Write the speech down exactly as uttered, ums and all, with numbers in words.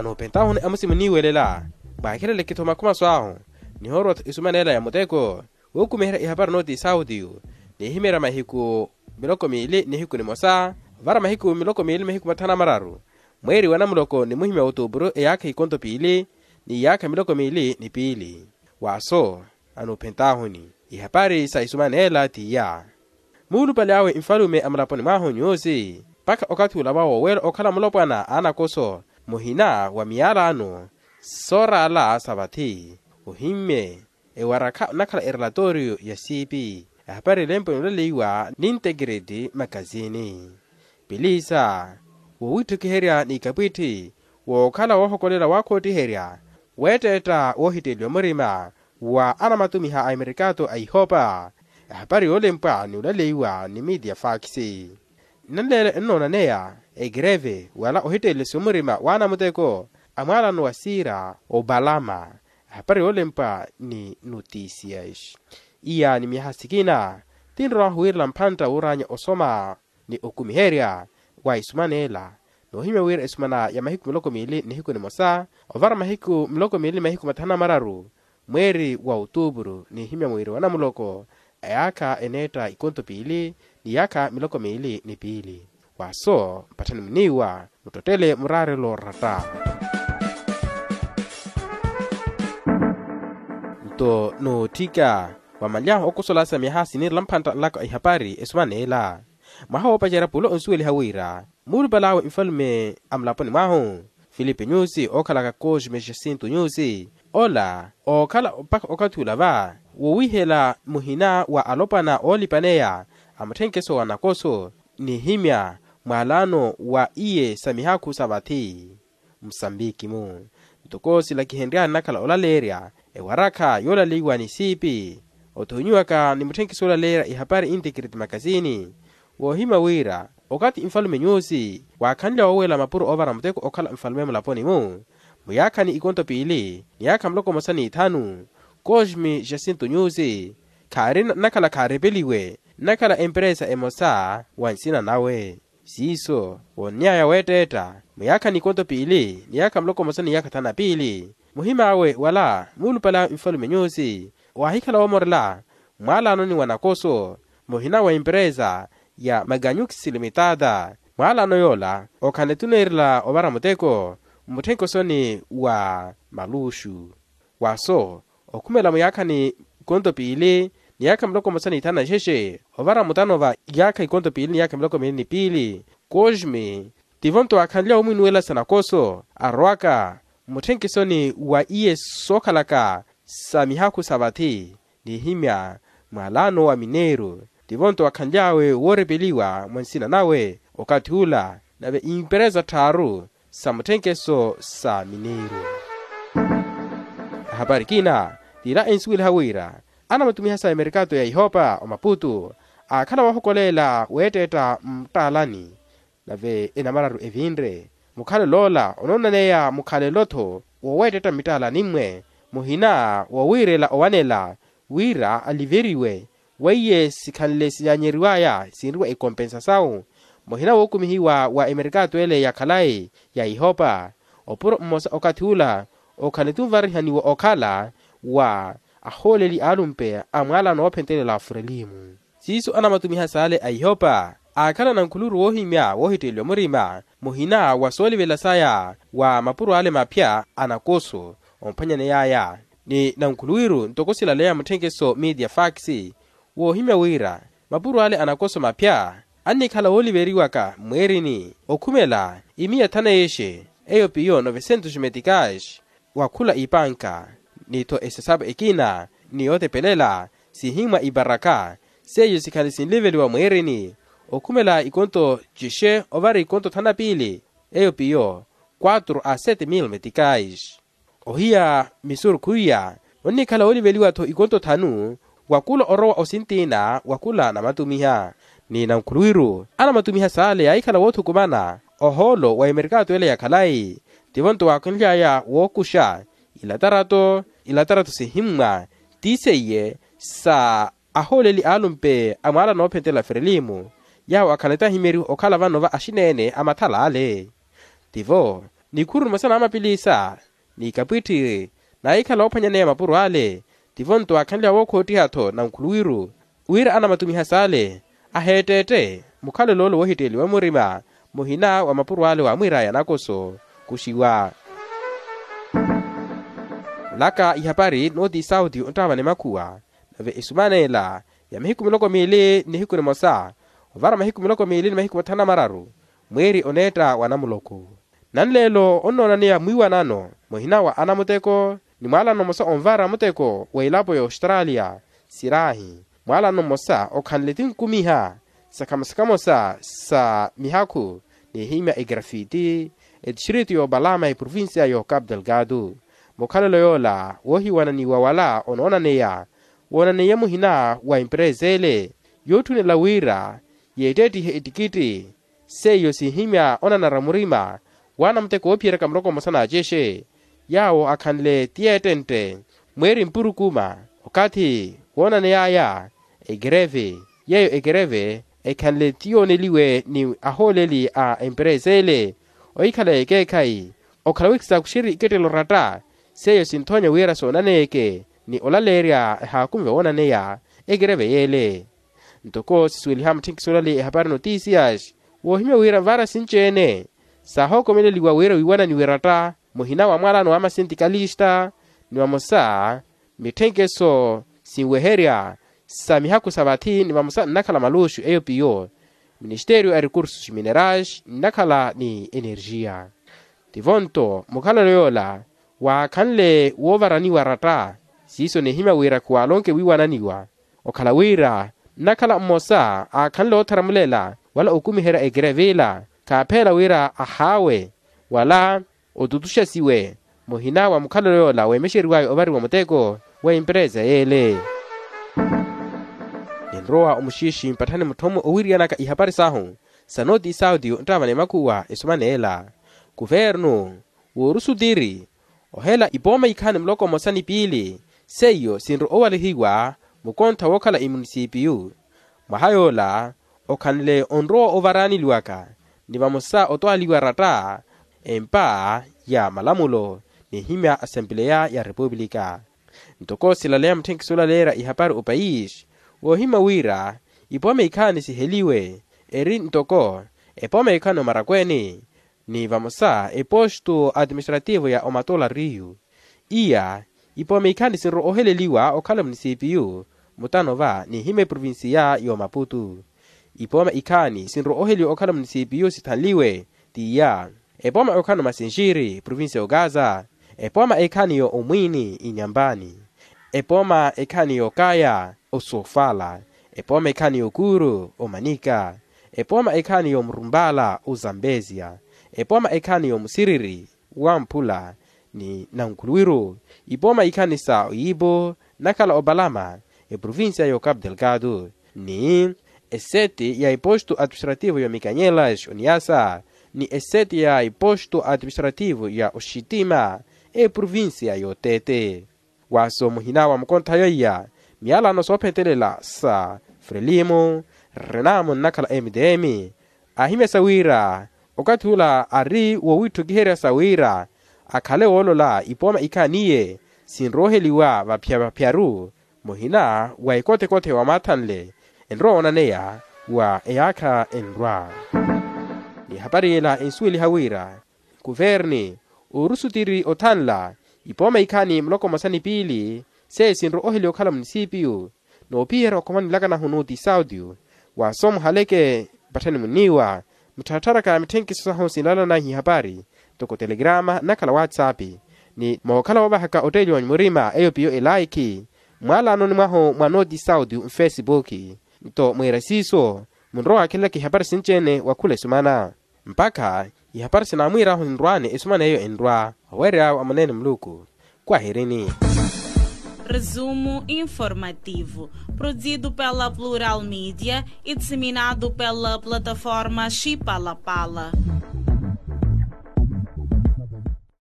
Anoopentahuni amusi muniiwelela, mwaakhelele-tho makhumaso ahu nihoorwa-tho isumaneela ya muteko, wuukumiherya ihapari nooti sautiyu nihimeerya mahiku miloko miili nihiku nimosa, ovara mahiku miloko miili mahiku mathanu na mararu mweeri wa namuloko ni muhimya wa otuupuru eyaakha ikonto piili ni yaakha miloko miili ni piili. Waaso anoopentahuni ihapari sa isumaneela t'iya. Muulupale awe nfalume a mulaponi mwahu nyuusi mpakha okathi ula vawo weera okhala mulopwana a anakoso muhina wa miyalano sooraala sa vathi. Ohimmye ewarakha onakhala erelatoriyo ya siipi ehapari elempwe nulaleiwa ni integrity makazini. Pilisa woowittukiherya n'ikapwitthi wookhala woohokolela waakhottiherya weetteetta woohitteeliwa murima wa anamatumiha a emerikato a ihopa. Ehapari yoolempwa ni olaleiwa ni miiti ya faakisi nnanleela ennoonaneya ekereve wala ohitteelesiwa murima wa anamuteko a mwaalano wa siira opalama. Ehapari yoolempwa ni notisias iya ni myaha sikina tinrowahu wiirela mphantta wuuraanya osoma ni okumiherya wa isumaneela. Noohimya wira esumana ya mahiku miloko miili nihiku nimosa ovara mahiku miloko miili ni mahiku mathanu na mararu mweeri wa otuupuru niihimya mwiiri wa namuloko a yaakha eneetta ikonto piili ni yaakha miloko miili ni piili. Waaso mpatthani muniiwa muttottele muraarelo oratta. Nto nootthika wamanly'ahu okosola sa myaha siniirela mphantta nlaka ihapari esumaneela. Mwaha woopacerya pulo onsuweliha wira muulupal'awe nfalume a mulaponi mwahu filipe nyusi ookhalaka cosme jacinto nyusi ola ookhala mpakha okathi ula va woowihela muhina wa alopwana oolipaneya a mutthenkeso wa nakoso nihimya mwaalano wa iye sa mihaakhu sa vathi. Musambiki-mu ntoko silakihenry'ani nakhala olaleerya ewarakha yoolaleiwa ni siipi othonyiwaka ni mutthenkiso oolaleerya ihapari integrity makasini. Woohimya wira okathi nfalume nyusi waakhanlya woowela mapuro oovara muteko okhala nfalume mulaponi-mu muyaakhani ikonto piili ni yaakha muloko mmosa n'ithanu cosme jacinto nyusi khaari nnakhala khaarepeliwe nnakhala emperesa emosa wa nsina nawe. Siiso woonny'aya weetteetta muyaakhani ikonto piili ni yaakha muloko mmosa ni yaakha thanu na piili muhim'awe wala muulupale awe nfalume nyusi waahikhala woomorela mmwaalanoni wa nakoso muhina wa emperesa ya maganyuxi limitada. Mwaalano yoola okhanle-tho oneerela ovara muteko mmutthenkhosoni wa maluxu. Waaso okhumela muyaakhani ikonto piili ni yaakha miloko mmosa n'ithanu na xexe ovara mutano va yaakha ikonto piili ni yaakha miloko miili ni piili cosme tivo-nto waakhanlya omwinuwela sa nakoso arowaka mmutthenkhesoni wa iye sookhalaka sa mihaakhu sa vathi nihimya mwaalano wa mineeru. Tivo-nto waakhanly'awe woorepeliwa mwa nsina nawe okathi ula nave imperesa tthaaru sa mutthenkeso sa mineeru. Ahapari kina tiila ensuweliha wira anamatumiha sa emerikato ya ihopa omaputu aakhala woohokoleela weetteetta muttalani nave enamararu evinre mukhalelo ola onoonaneya mukhalelo-tho woweettetta mmittaalani-mwe muhina wowiirela owanela wira aliveriwe weiye sikhanle sinyaanyeriw'aya sinriwa ekompensa sawu muhina wookumihiwa wa emerikato ele ya khalayi ya ihopa opuro mmosa okathi ula okhanle-tho nvarihaniwa okhala wa ahooleli aalumpe a mwaalano woophentelela afurelimu. Siiso anamatumiha saale a ihopa aakhala nankhuluuru woohimya woohitteeliwa murima muhina wa soolivela saya wa mapuro ale maphya a nakoso omphwanyaney'aya ni nankhuluwiru ntoko silaleya mutthenkeso miiti ya faakisi woohimya wira mapuro ale a nakoso maphya annikhala wooliveriwaka mmweerini okhumela imiya thanu na yexe eyo piyo novesentos meticais wa khula ipanka ni-tho esesapo ekina ni yootepelela sihimmwa iparaka seiyo sikhale sinliveliwa mweerini okhumela ikonto cixe ovara ikonto thanu na piili eyo piyo quatro a sete mil meticais. Ohiya misurukhu iya onnikhala wooliveliwa-tho ikonto thanu wa kula orowa osintiina wa kula namatumiha ni nankhuluwiru anamatumiha saale yaahikhala woothukumana ohoolo wa emerikato ele ya khalayi tivo-nto waakhanly'aya wookuxa ilatarato ilatarato sihimmwa ti seiye sa ahooleli aalumpe a mwaala noophentela ferelimu yaawo akhanle-tho ahimyeriwe okhala vano va axineene a mathala ale tivo Nikhuru nimosa namapilisa ni ikapwittiri naahikhala oophwanyaneya mapuro ale. Tivo nto aakhanliha wookhoottiha-tho nankhuluwiru wira anamatumiha saale aheetteette mukhalelo ole woohitteeliwa murima muhina wa mapuro ale waamwiiraya nakoso kuxiwa. Laka ihapari nooti sauti onttaavani makhuwa nave esumaneela ya mahiku miloko miili nihiku nimosa ovara mahiku miloko miili ni mahiku mathanu na mararu mwiiri oneetta wa namuloko. Nanleelo onnoonaneya mwiiwanano muhina wa anamuteko ni mwaalano mmosa onvara muteko wa elapo ya ostralia siraahi mwaalano mmosa okhanle tinkumiha sakhamo sakhamo sa sa mihakhu n'ihimya egrafiti etixiriti y'opalama eprovincia y'ocapu delgado. Mukhalelo yoola woohiwananiwa wala onoonaneya woonaneiye muhina wa emperesa ele yootthunela wira yeetteettihe ettikitti seiyo sinhimya onanara murima waana muteko woophiyeryaka muloko mmosa n'acexe yaawo akhanle ti yeettentte mweeri mpurukuma okathi woonaney'aya ekereve yeeyo ekereve ekhanle ti yooneliwe ni ahooleli a emperesa ele ohikhala ekeekhayi okhala wiikisakuxeri ikettelo oratta seiyo sinthoonya wira soonaneyeke ni olaleerya ehaakumiva woonaneya ekereve yeele. Ntoko sisuweliha mutthenkiso olale ehapari notisias woohimya wira nvaara sinci-ene saahookomeleliwa wira wiiwananiwe eratta muhina wa mwaalano wa masentikalista ni vamosa mitthenkeso sinweherya sa mihakhu sa vathi ni vamosa nnakhala maluxu eyo piyo ministeriyo a recursos minerais nnakhala ni energia. Tivo nto mukhalelo yoola waakhanle woovaraniwa ratta siiso nihimya wira khuwaalonke wiiwananiwa okhala wira nnakhala mmosa aakhanle ootharamulela wala okumiherya ekerevila khaapheela wira ahaawe wala otutuxasiwe muhina wa mukhalelo yoola weemexeriwaya ovariwa muteko wa emperesa yeele. Ninrowa omuxiixi mpatthani mutthomo owiiriyanaka ihapari sahu sa nooti sauti onttaavani makhuwa esumaneela kuvernu woorusutiri ohela ipooma ikhaani muloko mmosa ni piili seiyo sinrowa owalihiwa mukontha wookhala emunisipiyu mwaha yoola okhanle onrowa ovaraaneliwaka ni vamosa otwaaliwa ratta empa ya malamulo n'ihimya asempeleya ya repupulika. Ntoko silaleya mutthenkiso olaleerya ihapari opayisi woohimya wira ipooma ikhaani siheliwe eri ntoko epooma ikhaani omarakweni ni vamosa epostu atiministrativo ya omatola riyu iya ipooma ikhaani sinrowa-oheleliwa okhala munisipiyu mutano va n'ihimya eprovinsiya y'omaputu. Ipooma ikhaani sinrowa-oheliwa okhala munisipiyu sithanliwe t'iya epooma ekhaani omasinxiri provinsiya y'okaza epooma ekhaani y'omwiini inyampani epooma ekhaani y'okaya osofala epooma ekhaani y'okuuru omanika epooma ekhaani y'omurumpala ozambesia epooma ekhaani y'omusiriri wamphula ni nankhuluwiru ipooma ikhaani sa oyiipo nnakhala opalama eprovinsiya y'ocapu delgado ni eseti ya epostu atiministrativo y'omikanyelas oniasa ni eseti ya epostu atiministrativo ya oxitima eprovinsiya y'otete. Waaso muhina wa mukonthayo iya miyalano soophentelela sa frelimo renamo nnakhala mdm aahimyasa wira okathi ula ari wowiitthukiherya sa wira akhale woolola ipooma ikhaani iye sinrooheliwa vaphyavapyaru muhina wa ekothekothe wa maathanle enrowa woonaneya wa eyaakha enrwa. Ni ehapari ela ensuweliha wira kuverni oorusutiri othanla ipooma ikhaani muloko mmosa ni piili seiyo sinrowa-oheliwa okhala munisipiyu noophiyerya okhomani laka nahu nooti sauti waaso muhaleke mpatthani muniiwa muttharattharaka mitthenkiso sahu sinlalananyu ihapari ntoko telegrama nnakhala whatsapp ni mookhala woovahaka otteeliwa murima eyo piyo elaikhi mwaalanoni mwahu mwa nooti sauti mfesipuki nto mwiira siiso munrowa waakhelelaka ihapari sinci-ene wa khula esumana mpakha ihapari sinaamwiirahu nrwaani esumana eyo enrwa oweerya awe amuneene muluku. Kwahirini. Resumo informativo, produzido pela Plural Mídia e disseminado pela plataforma Chipalapala.